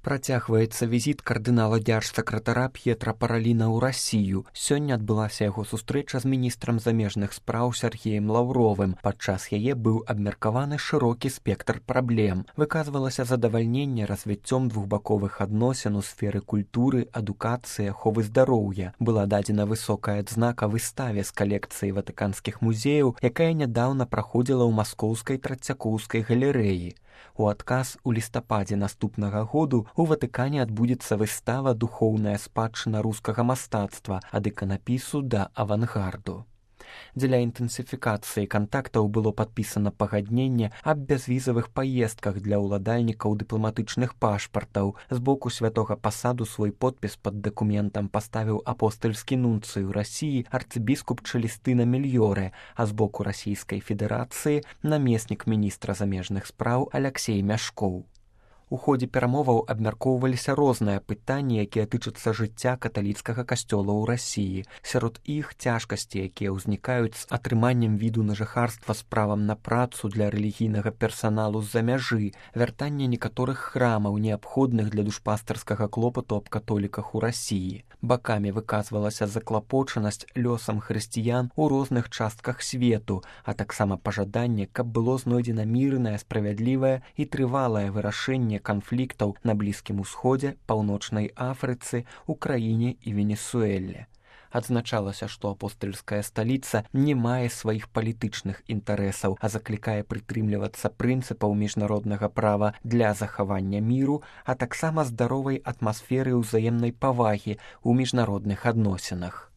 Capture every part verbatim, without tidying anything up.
Працягваецца візіт кардынала дзяржсакратара П'етра Параліна ў Расію. Сёння адбылася яго сустрэча з міністрам замежных спраў Сергеем Лаўровым. Падчас яе быў абмеркаваны шырокі спектр праблем. Выказвалася задавальненне развіццём двухбаковых адносін у сферы культуры, адукацыі, аховы здароўя. Была дадзена высокая адзнака выставе з калекцыі ватыканскіх музеяў, якая нядаўна праходзіла ў маскоўскай Трацякоўскай галерэі. У адказ у лістападзе наступнага году у Ватыкане адбудзецца выстава «Духоўная спадчына рускага мастацтва» ад іканапісу да авангарду. Дзеля інтэнсіфікацыі кантактаў было падпісана пагадненне аб бязвізавых паездках для ўладальнікаў дыпламатычных пашпартаў. З боку святога пасаду свой подпіс пад дакументам паставіў апостальскі нунцый у Расіі арцыбіскуп Чэлестына Мільёрэ, а з боку Расійскай Федэрацыі намеснік міністра замежных спраў Аляксей Мяшкоў. У ходзе перамоваў абмяркоўваліся розныя пытанні, якія тычацца жыцця каталіцкага касцёла ў Расіі. Сярод іх цяжкасці, якія ўзнікаюць з атрыманнем віду на жыхарства з правам на працу для рэлігійнага персаналу з-за мяжы, вяртанне некаторых храмаў, неабходных для душпастарскага клопату аб католіках у Расіі. Бакамі выказвалася заклапочанасць лёсам хрысціян у розных частках свету, а таксама пажаданне, каб было знойдзена мірнае, справядлівае і трывалае вырашэнне канфліктаў на Блізкім Усходзе, Паўночнай Афрыцы, Украіне і Венесуэле. Адзначалася, што апостальская сталіца не мае сваіх палітычных інтарэсаў, а заклікае прытрымлівацца прынцыпаў міжнароднага права для захавання міру, а таксама здаровай атмасферы ўзаемнай павагі ў міжнародных адносінах.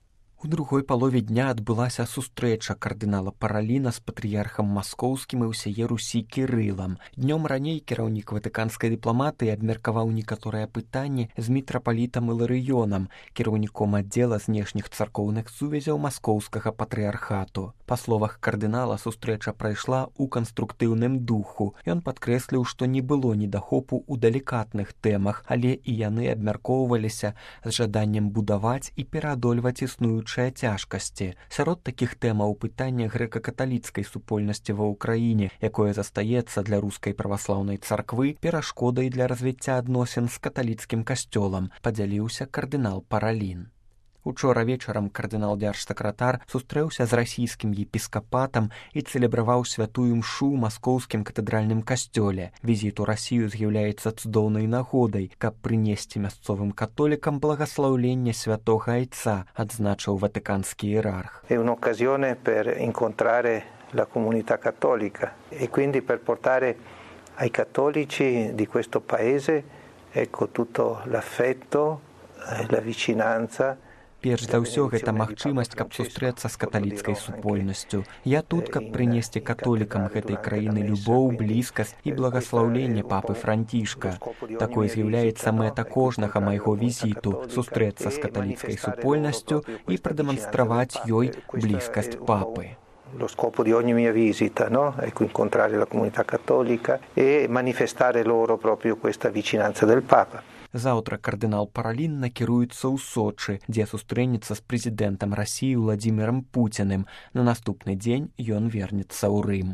У другой палове дня адбылася сустрэча кардынала Параліна з патрыярхам маскоўскім і ўсяе Русі Кірылам. Днём раней кіраўнік ватыканскай дыпламатыі абмеркаваў некаторыя пытанні з мітрапалітам Іларыёнам, кіраўніком аддзела знешніх царкоўных сувязяў маскоўскага патрыярхату. Па словах кардынала, сустрэча прайшла ў канструктыўным духу. Ён падкрэсліў, што не было недахопу ў далікатных тэмах, але і яны абмяркоўваліся з жаданнем будаваць і пераадольваць існуючыя цяжкасці. Сярод такіх тэмаў пытання грэка-каталіцкай супольнасці ва ўкраіне, якое застаецца для рускай праваслаўнай царквы перашкодай для развіцця адносін з каталіцкім касцёлам, падзяліўся кардынал Паралін. Учора вечарам кардынал дзяржсакратар сустрэўся з расійскім епіскапатам і цэлебраваў святую мшу ў маскоўскім катэдральным касцёле. Візіт у Расію з'яўляецца цудоўнай нагодай, каб прынесці мясцовым католікам благаслаўленне святога айца, адзначыў ватыканскі іерарх. È un'occasione per incontrare la comunità cattolica e quindi per portare ai cattolici di questo paese ecco tutto l'affetto, la vicinanza. Перш за ўсё, гэта магчымасць, каб сустрэцца з каталіцкай супольнасцю. Я тут, каб прынесці католікам гэтай краіны любоў, блізкасць і благаслаўленне папы Францішка. Такой з'яўляецца мэта кожнага майго візіту – сустрэцца з каталіцкай супольнасцю і прадэманстраваць ёй блізкасць папы. Lo scopo di ogni mia visita, no? Ecco, incontrare la comunità cattolica e manifestare loro proprio questa vicinanza del Papa. Заўтра кардынал Паралін накіруецца ў Сочы, дзе сустрэнецца з прэзідэнтам Расіі Владзімірам Пуціным. На наступны дзень ён вернецца ў Рым.